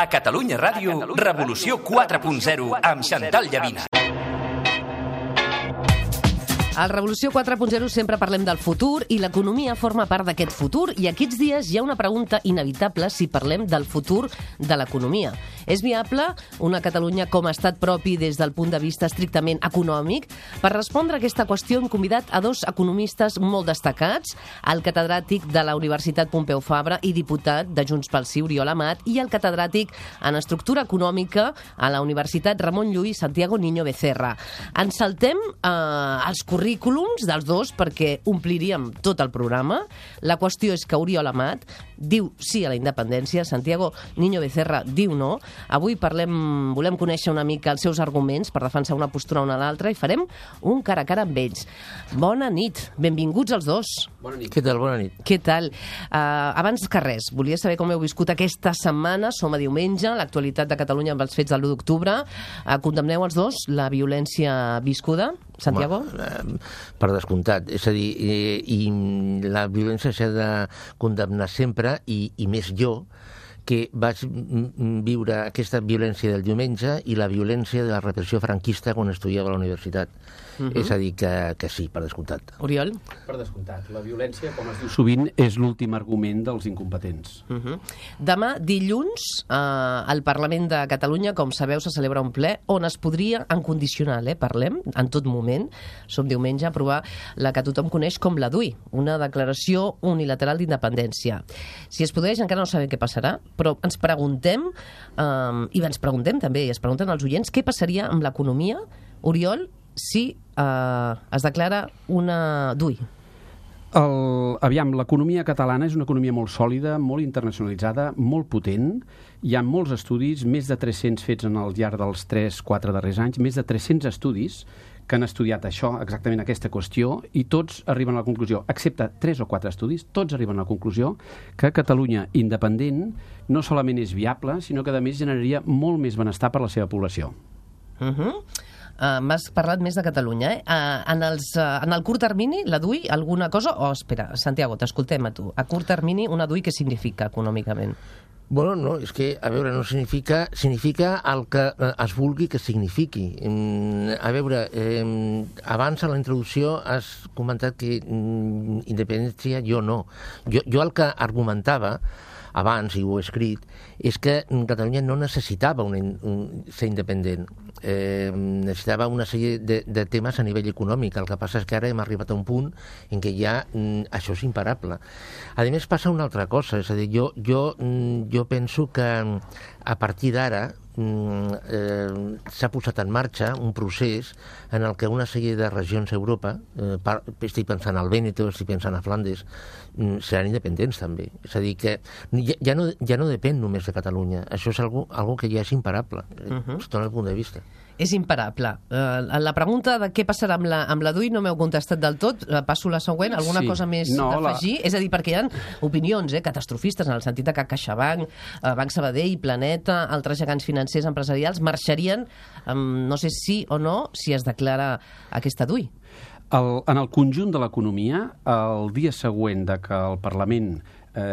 A Catalunya Ràdio, Revolució 4.0 amb Xantal Llavina. Al Revolució 4.0 sempre parlem del futur i l'economia forma part d'aquest futur i aquests dies hi ha una pregunta inevitable si parlem del futur de l'economia. És viable una Catalunya com a estat propi des del punt de vista estrictament econòmic? Per respondre a aquesta qüestió hem convidat a dos economistes molt destacats, el catedràtic de la Universitat Pompeu Fabra i diputat de Junts pel Sí, Oriol Amat, i el catedràtic en estructura econòmica a la Universitat Ramon Llull, Santiago Niño Becerra. Ens saltem els currículums dels dos perquè ompliríem tot el programa. La qüestió és que Oriol Amat diu sí a la independència, Santiago Niño Becerra diu no. Avui volem conèixer una mica els seus arguments per defensar una postura o una l'altra i farem un cara a cara amb ells. Bona nit, benvinguts els dos. Bona nit. Què tal? Bona nit. Què tal? Abans que res, volia saber com heu viscut aquesta setmana, som a diumenge, l'actualitat de Catalunya amb els fets de l'1 d'octubre. Condemneu els dos la violència viscuda? Santiago? Per descomptat. És a dir, i la violència s'ha de condemnar sempre i més jo, que vaig viure aquesta violència del diumenge i la violència de la repressió franquista quan estudiava a la universitat. És a dir, que sí, per descomptat. Oriol? Per descomptat. La violència, com es diu sovint, és l'últim argument dels incompetents. Demà, dilluns, al Parlament de Catalunya, com sabeu, se celebra un ple on es podria, en condicional, parlem, en tot moment, som diumenge, aprovar la que tothom coneix com la DUI, una declaració unilateral d'independència. Si es produeix, encara no sabem què passarà, però ens preguntem, i ens preguntem també, i es pregunten els oients, què passaria amb l'economia, Oriol, si es declara una DUI? Aviam, l'economia catalana és una economia molt sòlida, molt internacionalitzada, molt potent. Hi ha molts estudis, més de 300 fets en el llarg dels 3-4 darrers anys, més de 300 estudis que han estudiat això, exactament aquesta qüestió, i tots arriben a la conclusió, excepte 3 o 4 estudis, tots arriben a la conclusió que Catalunya independent no solament és viable, sinó que a més generaria molt més benestar per la seva població. M'has parlat més de Catalunya, en el curt termini, la DUI, alguna cosa? Espera, Santiago, t'escoltem a tu. A curt termini, una DUI, què significa econòmicament? Bueno, no, és que, a veure, no significa el que es vulgui que signifiqui. A veure, abans a la introducció has comentat que independència jo no. Jo el que argumentava abans, i ho he escrit, és que Catalunya no necessitava ser independent. Necessitava una sèrie de temes a nivell econòmic. El que passa és que ara hem arribat a un punt en què ja això és imparable. A més, passa una altra cosa. És a dir, jo penso que a partir d'ara s'ha posat en marxa un procés en el que una sèrie de regions d'Europa, estic pensant al Vèneto, estic pensant a Flandes, seran independents també. És a dir, que ja no depèn només de Catalunya. Això és algo que ja és imparable, des del punt de vista. És imparable. La pregunta de què passarà amb la DUI no m'heu contestat del tot. Passo a la següent. Alguna cosa més d'afegir? És a dir, perquè hi ha opinions catastrofistes en el sentit de que CaixaBank, Banc Sabadell, Planeta, altres gegants financers empresarials marxarien, no sé si o no, si es declara aquesta DUI. En el conjunt de l'economia, el dia següent de que el Parlament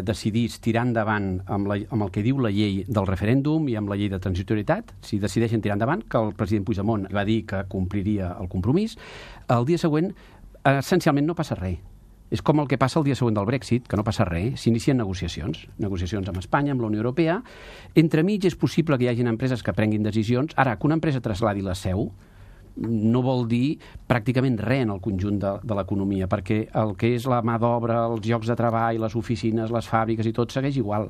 decidís tirar endavant amb el que diu la llei del referèndum i amb la llei de transitorietat, si decideixen tirar endavant, que el president Puigdemont va dir que compliria el compromís, el dia següent essencialment no passa res. És com el que passa el dia següent del Brexit, que no passa res, s'inicien negociacions amb Espanya, amb la Unió Europea. Entremig és possible que hi hagin empreses que prenguin decisions. Ara, que una empresa trasladi la seu no vol dir pràcticament res en el conjunt de l'economia, perquè el que és la mà d'obra, els llocs de treball, les oficines, les fàbriques i tot segueix igual.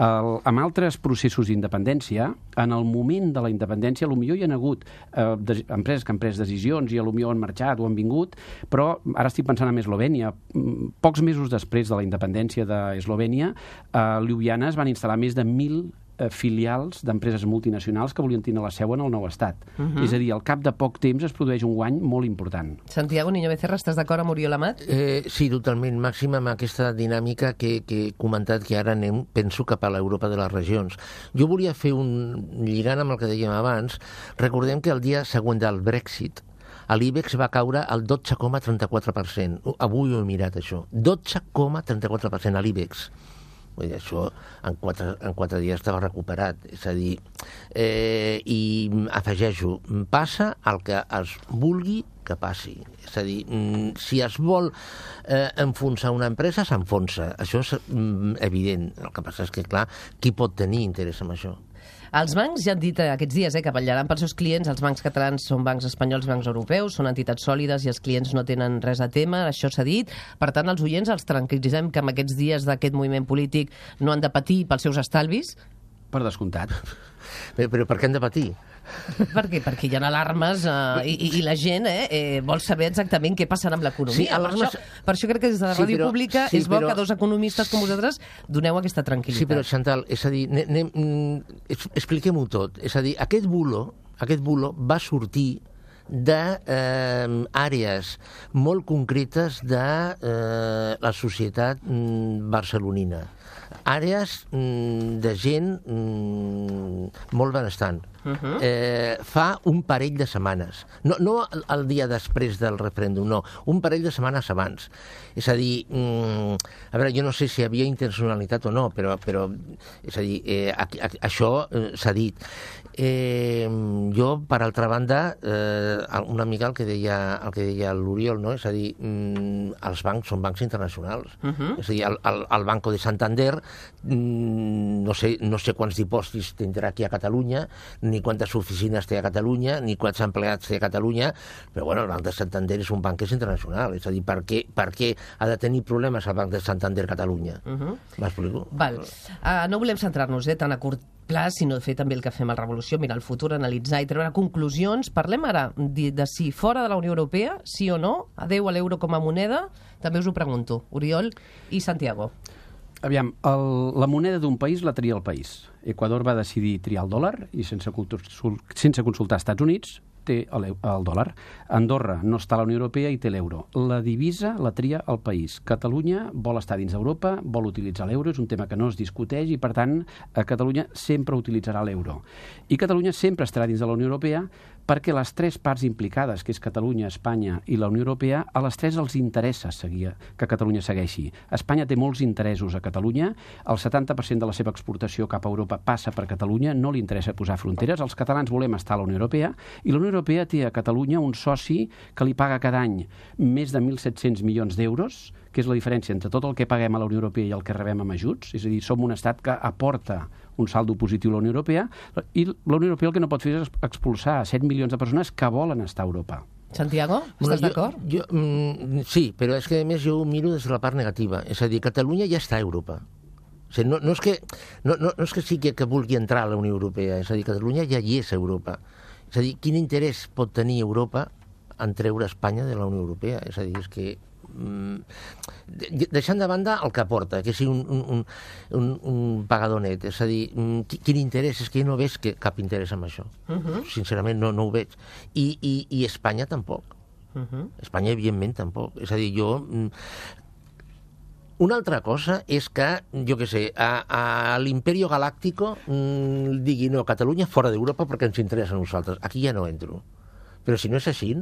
Amb altres processos d'independència, en el moment de la independència, potser hi ha hagut empreses que han pres decisions i potser han marxat o han vingut, però ara estic pensant en Eslovènia. Pocs mesos després de la independència d'Eslovènia, a Ljubljana es van instal·lar més de 1.000 filials d'empreses multinacionals que volien tenir la seu en el nou estat. És a dir, al cap de poc temps es produeix un guany molt important. Santiago Niño Becerra, estàs d'acord amb Oriol Amat? Sí, totalment. Màxim amb aquesta dinàmica que he comentat, que ara anem, penso, cap a l'Europa de les regions. Jo volia fer lligant amb el que dèiem abans, recordem que el dia següent del Brexit l'IBEX va caure al 12,34%. Avui ho he mirat, això. 12,34% a l'IBEX. Vull dir, això en 4 dies estava recuperat. És a dir, i afegeixo, passa el que es vulgui que passi. És a dir, si es vol enfonsar una empresa, s'enfonsa. Això és evident. El que passa és que, clar, qui pot tenir interès en això? Els bancs ja han dit aquests dies que vetllaran pels seus clients. Els bancs catalans són bancs espanyols, bancs europeus, són entitats sòlides i els clients no tenen res a témer, això s'ha dit. Per tant, els oients els tranquil·litzem que en aquests dies d'aquest moviment polític no han de patir pels seus estalvis? Per descomptat. Però per què han de patir? Per què? Perquè hi ha alarmes i la gent vol saber exactament què passarà amb l'economia. Sí, alarmes... per això crec que des de la ràdio pública és bo que dos economistes com vosaltres doneu aquesta tranquil·litat. Sí, però Chantal, és a dir, expliquem-ho tot. És a dir, aquest bulo va sortir d'àrees molt concretes de la societat barcelonina. Àrees de gent molt benestant. Fa un parell de setmanes. No el dia després del referèndum, no. Un parell de setmanes abans. És a dir, a veure, jo no sé si hi havia intencionalitat o no, però és a dir, això s'ha dit. Jo, per altra banda, una mica el que deia l'Oriol, no? És a dir, els bancs són bancs internacionals. És a dir, el Banco de Santander no sé quants dipòsits tindrà aquí a Catalunya, ni quantes oficines té a Catalunya, ni quants empleats té a Catalunya, però bueno, el Banc de Santander és un banc que és internacional. És a dir, per què ha de tenir problemes el Banc de Santander a Catalunya? M'explico? Val. No volem centrar-nos tan a curt pla, sinó fer també el que fem a Revolució, mirar el futur, analitzar i treure conclusions. Parlem ara de si fora de la Unió Europea, sí o no, adeu a l'euro com a moneda. També us ho pregunto, Oriol i Santiago. Aviam, la moneda d'un país la tria el país. Equador va decidir triar el dòlar i sense consultar als Estats Units té el dòlar. Andorra no està a la Unió Europea i té l'euro. La divisa la tria el país. Catalunya vol estar dins d'Europa, vol utilitzar l'euro, és un tema que no es discuteix i, per tant, Catalunya sempre utilitzarà l'euro. I Catalunya sempre estarà dins de la Unió Europea perquè les tres parts implicades, que és Catalunya, Espanya i la Unió Europea, a les tres els interessa que Catalunya segueixi. Espanya té molts interessos a Catalunya, el 70% de la seva exportació cap a Europa passa per Catalunya, no li interessa posar fronteres, els catalans volem estar a la Unió Europea, i la Unió Europea té a Catalunya un soci que li paga cada any més de 1.700 milions d'euros, que és la diferència entre tot el que paguem a la Unió Europea i el que rebem amb ajuts, és a dir, som un estat que aporta un saldo positiu a la Unió Europea, i la Unió Europea el que no pot fer és expulsar 7 milions de persones que volen estar a Europa. Santiago, estàs d'acord? Sí, però és que a més jo ho miro des de la part negativa. És a dir, Catalunya ja està a Europa. O sigui, no és que sigui que vulgui entrar a la Unió Europea, és a dir, Catalunya ja hi és a Europa. És a dir, quin interès pot tenir Europa en treure Espanya de la Unió Europea? És a dir, és que deixant de banda el que aporta, que sigui un pagador net, és a dir, quin interès? És que jo no veig cap interès en això. Sincerament no ho veig. I Espanya tampoc. Espanya, evidentment, tampoc. És a dir, una altra cosa és que, jo què sé, a l'Imperio Galáctico digui, no, Catalunya fora d'Europa perquè ens interessa a nosaltres. Aquí ja no entro. Però si no és així,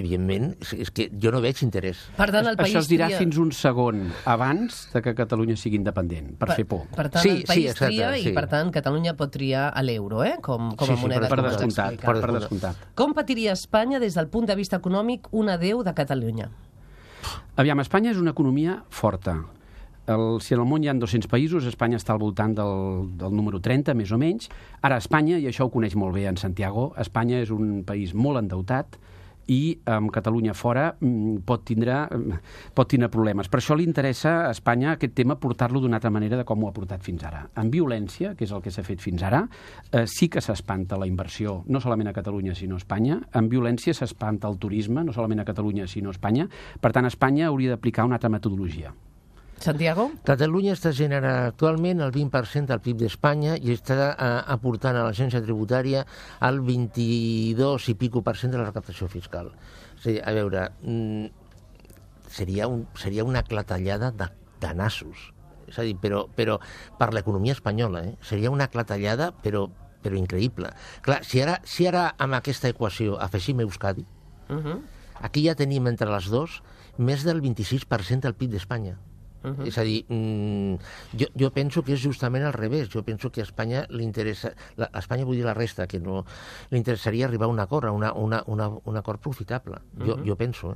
evidentment, és que jo no veig interès. Per tant, el país això es dirà fins un segon abans de que Catalunya sigui independent, per fer por. Per tant, el país tria i, per tant, Catalunya pot triar l'euro, com a moneda. Per descomptat. Com patiria Espanya des del punt de vista econòmic un adeu de Catalunya? Aviam, Espanya és una economia forta. Si en el món hi ha 200 països, Espanya està al voltant del número 30, més o menys. Ara, Espanya, i això ho coneix molt bé en Santiago, Espanya és un país molt endeutat, i amb Catalunya fora pot tindre problemes. Per això li interessa a Espanya aquest tema portar-lo d'una altra manera de com ho ha portat fins ara. En violència, que és el que s'ha fet fins ara, sí que s'espanta la inversió, no solament a Catalunya sinó a Espanya. En violència s'espanta el turisme, no solament a Catalunya sinó a Espanya. Per tant, Espanya hauria d'aplicar una altra metodologia. Santiago? Catalunya està generant actualment el 20% del PIB d'Espanya i està aportant a l'agència tributària el 22 i % de la recaptació fiscal. És a dir, a veure, seria una clatellada de nassos. És a dir, però per l'economia espanyola, seria una clatellada, però increïble. Clar, si ara amb aquesta equació afegim Euskadi, aquí ja tenim entre les dues més del 26% del PIB d'Espanya. És a dir, jo penso que és justament al revés. Jo penso que a Espanya li interessa... A Espanya vull dir la resta, que no li interessaria arribar a un acord, a un acord profitable. Jo penso.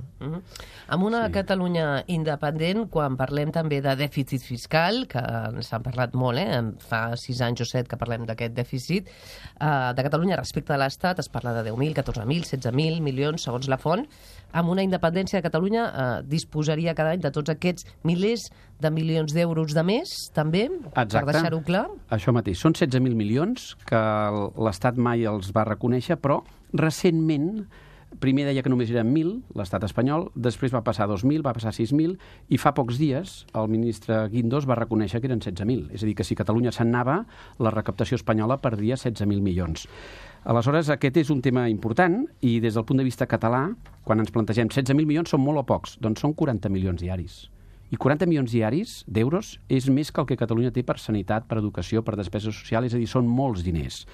Amb una Catalunya independent, quan parlem també de dèficit fiscal, que s'han parlat molt, fa 6 anys o 7 que parlem d'aquest dèficit, de Catalunya respecte a l'Estat es parla de 10.000, 14.000, 16.000 milions, segons la font. Amb una independència de Catalunya disposaria cada any de tots aquests milers de milions d'euros de més, també, per deixar-ho clar? Això mateix. Són 16.000 milions que l'Estat mai els va reconèixer, però recentment, primer deia que només eren 1.000, l'Estat espanyol, després va passar a 2.000, va passar a 6.000, i fa pocs dies el ministre Guindos va reconèixer que eren 16.000. És a dir, que si Catalunya se'n anava, la recaptació espanyola perdria 16.000 milions. Aleshores, aquest és un tema important i des del punt de vista català, quan ens plantegem 16.000 milions són molt o pocs, doncs són 40 milions diaris. I 40 milions diaris d'euros és més que el que Catalunya té per sanitat, per educació, per despesa social, és a dir, són molts diners.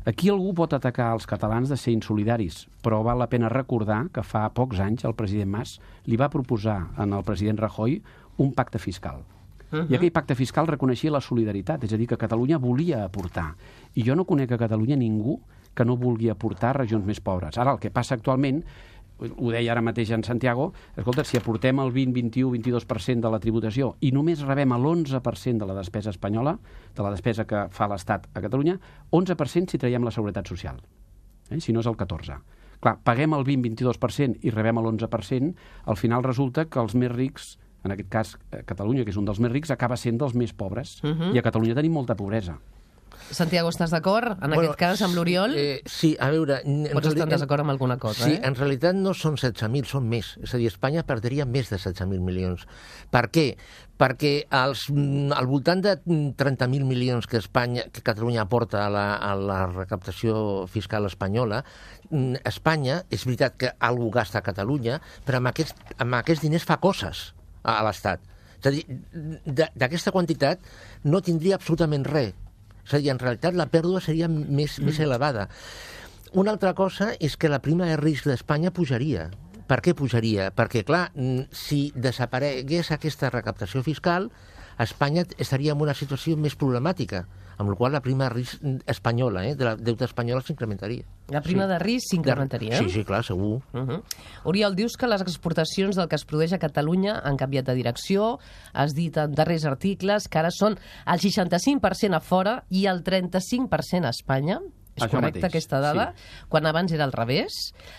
Aquí algú pot atacar els catalans de ser insolidaris, però val la pena recordar que fa pocs anys el president Mas li va proposar al president Rajoy un pacte fiscal. I aquell pacte fiscal reconeixia la solidaritat, és a dir, que Catalunya volia aportar. I jo no conec a Catalunya ningú que no vulgui aportar a regions més pobres. Ara, el que passa actualment, ho deia ara mateix en Santiago, escolta, si aportem el 20, 21, 22% de la tributació i només rebem l'11% de la despesa espanyola, de la despesa que fa l'Estat a Catalunya, 11% si traiem la seguretat social, si no és el 14%. Clar, paguem el 20-22% i rebem l'11%, al final resulta que els més rics, en aquest cas Catalunya, que és un dels més rics, acaba sent dels més pobres. I a Catalunya tenim molta pobresa. Santiago, estàs d'acord en aquest cas amb l'Oriol? Sí, a veure... Pots estar en desacord amb alguna cosa, Sí, en realitat no són 16.000, són més. És a dir, Espanya perdria més de 16.000 milions. Per què? Perquè al voltant de 30.000 milions que Catalunya aporta a la recaptació fiscal espanyola, Espanya, és veritat que algú gasta a Catalunya, però amb aquests diners fa coses a l'Estat. És a dir, d'aquesta quantitat no tindria absolutament res. És a dir, en realitat la pèrdua seria més elevada. Una altra cosa és que la prima de risc d'Espanya pujaria. Per què pujaria? Perquè, clar, si desaparegués aquesta recaptació fiscal, Espanya estaria en una situació més problemàtica, amb la qual la prima de risc espanyola, de la deuta espanyola, s'incrementaria. La prima de risc s'incrementaria? Sí, clar, segur. Oriol, dius que les exportacions del que es produeix a Catalunya han canviat de direcció, has dit en darrers articles que ara són el 65% a fora i el 35% a Espanya. És Això correcta mateix, aquesta dada? Sí. Quan abans era al revés.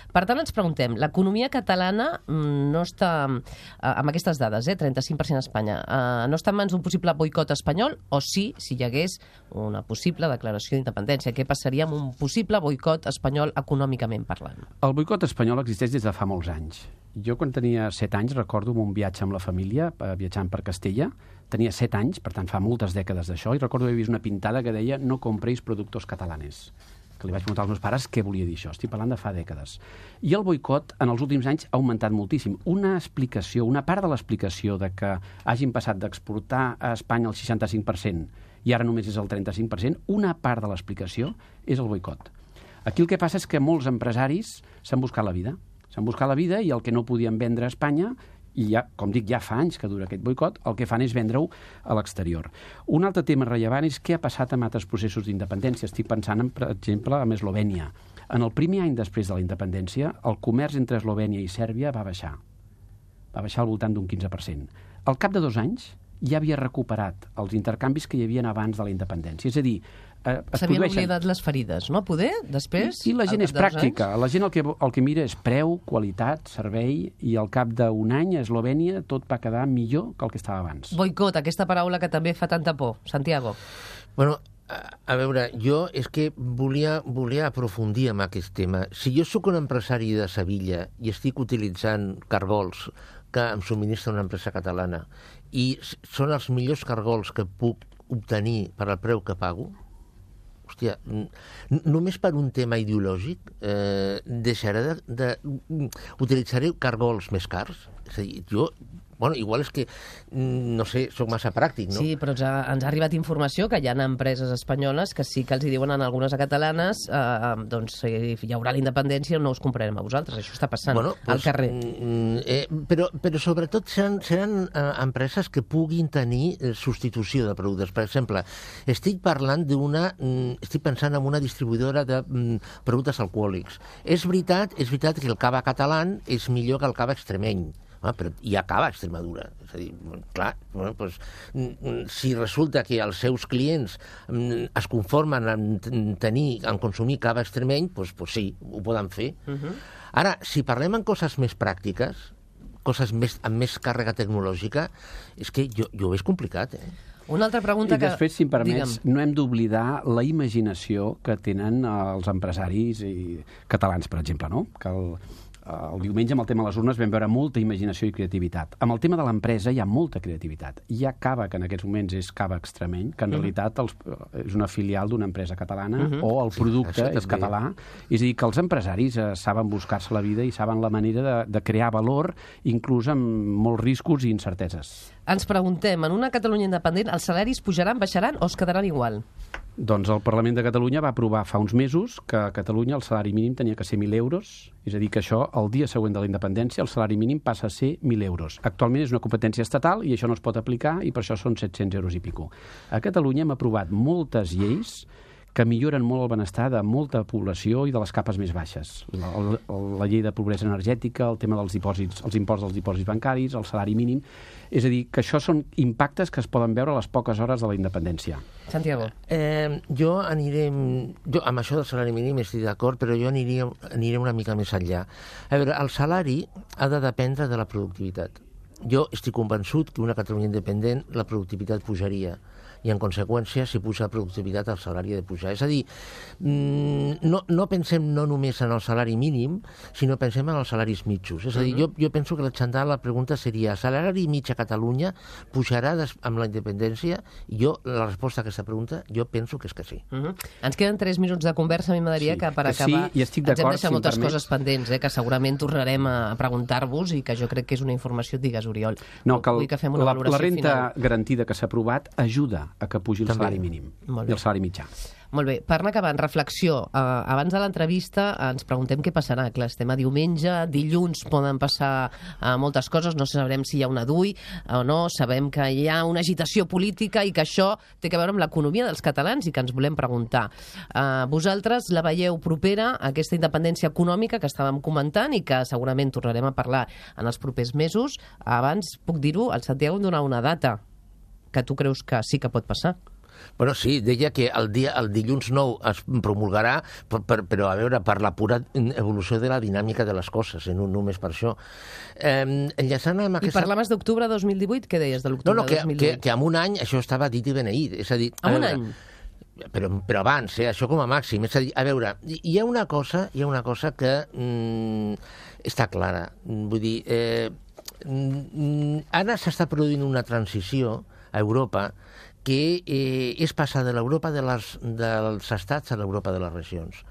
Per tant, ens preguntem, l'economia catalana no està, amb aquestes dades, 35% a Espanya, no està en mans d'un possible boicot espanyol, o sí, si hi hagués una possible declaració d'independència? Què passaria amb un possible boicot espanyol econòmicament parlant? El boicot espanyol existeix des de fa molts anys. Jo, quan tenia 7 anys, recordo un viatge amb la família, viatjant per Castella. Tenia 7 anys, per tant fa moltes dècades d'això, i recordo haver vist una pintada que deia "no compréis productos catalanes", que li vaig preguntar als meus pares què volia dir això. Estic parlant de fa dècades. I el boicot en els últims anys ha augmentat moltíssim. Una part de l'explicació de que hagin passat d'exportar a Espanya el 65% i ara només és el 35%, una part de l'explicació és el boicot. Aquí el que passa és que molts empresaris s'han buscat la vida. S'han buscat la vida i el que no podien vendre a Espanya, i ja, com dic, ja fa anys que dura aquest boicot, el que fan és vendre-ho a l'exterior. Un altre tema rellevant és què ha passat amb altres processos d'independència. Estic pensant, per exemple, en Eslovènia. En el primer any després de la independència, el comerç entre Eslovènia i Sèrbia va baixar. Va baixar al voltant d'un 15%. Al cap de 2 anys ja havia recuperat els intercanvis que hi havia abans de la independència. És a dir, s'havien oblidat les ferides, no? Poder, després? I la gent és pràctica. La gent el que mira és preu, qualitat, servei, i al cap d'un any a Eslovènia tot va quedar millor que el que estava abans. Boicot, aquesta paraula que també fa tanta por. Santiago. Bueno, a veure, jo és que volia aprofundir en aquest tema. Si jo sóc un empresari de Sevilla i estic utilitzant cargols que em subministra una empresa catalana i són els millors cargols que puc obtenir per al preu que pago, hòstia, només per un tema ideològic utilitzaré cargols més cars? És a dir, jo Bueno, igual és que, no sé, sóc massa pràctic, no? Sí, però ens ha arribat informació que hi ha empreses espanyoles que sí que els hi diuen en algunes catalanes doncs hi haurà la independència, no us comprarem a vosaltres. Això està passant al carrer. Però sobretot seran empreses que puguin tenir substitució de productes. Per exemple, estic pensant en una distribuïdora de productes alcohòlics. És veritat que el cava català és millor que el cava extremeny. Però hi ha cava a Extremadura. És a dir, clar, si resulta que els seus clients es conformen en consumir cava extremeny, doncs sí, ho poden fer. Ara, si parlem en coses més pràctiques, coses amb més càrrega tecnològica, és que jo ho veig complicat, Una altra pregunta I després, si em permets, no hem d'oblidar la imaginació que tenen els empresaris catalans, per exemple, no? Que el diumenge, amb el tema de les urnes, vam veure molta imaginació i creativitat. Amb el tema de l'empresa hi ha molta creativitat. Hi ha cava, que en aquests moments és cava extremeny, que en realitat és una filial d'una empresa catalana, o el producte és català. És a dir, que els empresaris saben buscar-se la vida i saben la manera de crear valor, inclús amb molts riscos i incerteses. Ens preguntem, en una Catalunya independent, els salaris pujaran, baixaran o es quedaran igual? Doncs el Parlament de Catalunya va aprovar fa uns mesos que a Catalunya el salari mínim tenia que ser 1.000 euros, és a dir, que això, el dia següent de la independència, el salari mínim passa a ser 1.000 euros. Actualment és una competència estatal i això no es pot aplicar i per això són 700 euros i pico. A Catalunya hem aprovat moltes lleis que milloren molt el benestar de molta població i de les capes més baixes. La llei de pobresa energètica, el tema dels dipòsits, els imports dels dipòsits bancaris, el salari mínim. És a dir, que això són impactes que es poden veure a les poques hores de la independència. Santiago. Jo amb això del salari mínim estic d'acord, però jo aniré una mica més enllà. A veure, el salari ha de dependre de la productivitat. Jo estic convençut que una Catalunya independent la productivitat pujaria i, en conseqüència, si puja la productivitat, el salari ha de pujar. És a dir, no pensem no només en el salari mínim, sinó pensem en els salaris mitjos. És a dir, jo penso que la pregunta seria, el salari mig a Catalunya pujarà amb la independència? I la resposta a aquesta pregunta, jo penso que és que sí. Ens queden 3 minuts de conversa. A mi m'agradaria que per acabar ens hem deixat moltes coses pendents, que segurament tornarem a preguntar-vos i que jo crec que és una informació, digues, Oriol. No, que la renta garantida que s'ha aprovat ajuda a que pugi el salari mínim i el salari mitjà. Molt bé, per anar acabant, reflexió. Abans de l'entrevista ens preguntem què passarà. Clar, estem a diumenge, dilluns poden passar moltes coses, no sabrem si hi ha una DUI o no, sabem que hi ha una agitació política i que això té a veure amb l'economia dels catalans i que ens volem preguntar. Vosaltres la veieu propera, aquesta independència econòmica que estàvem comentant i que segurament tornarem a parlar en els propers mesos. Abans, puc dir-ho, el Santiago em donava una data que tu creus que sí que pot passar. Bueno, sí, deia que el dilluns 9 es promulgarà, però a veure, per la pura evolució de la dinàmica de les coses, no només per això. Enllaçant amb aquesta... I parlaves d'octubre 2018? Què deies de l'octubre 2018? Que en un any això estava dit i beneït. És a dir, en un any? Però abans, això com a màxim. És a dir, a veure, hi ha una cosa que està clara. Vull dir, ara s'està produint una transició a Europa que és passar de l'Europa dels estats a l'Europa de les regions.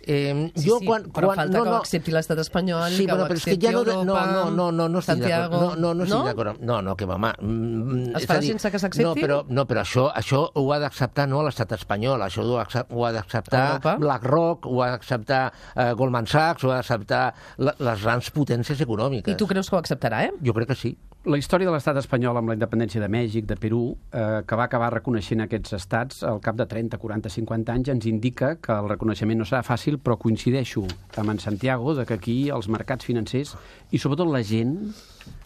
Però falta que ho accepti l'estat espanyol, que ho accepti Europa, Santiago... No estic d'acord. No, que va, home... Es farà sense que s'accepti? No, però això ho ha d'acceptar no l'estat espanyol, això ho ha d'acceptar BlackRock, ho ha d'acceptar Goldman Sachs, ho ha d'acceptar les grans potències econòmiques. I tu creus que ho acceptarà, Jo crec que sí. La història de l'estat espanyol amb la independència de Mèxic, de Perú, que va acabar reconeixent aquests estats al cap de 30, 40, 50 anys, ens indica que el reconeixement no serà fàcil, però coincideixo amb en Santiago que aquí els mercats financers i sobretot la gent,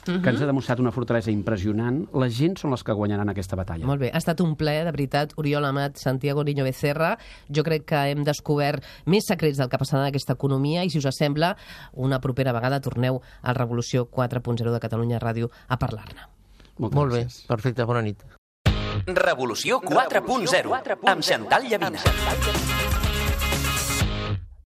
que ens ha demostrat una fortalesa impressionant, la gent són les que guanyaran aquesta batalla. Molt bé, ha estat un plaer, de veritat, Oriol Amat, Santiago Niño Becerra. Jo crec que hem descobert més secrets del que passarà en aquesta economia i, si us sembla, una propera vegada torneu al Revolució 4.0 de Catalunya Ràdio a parlar-ne. Molt bé, perfecte, bona nit. Revolució 4.0 amb Xantal Llavina.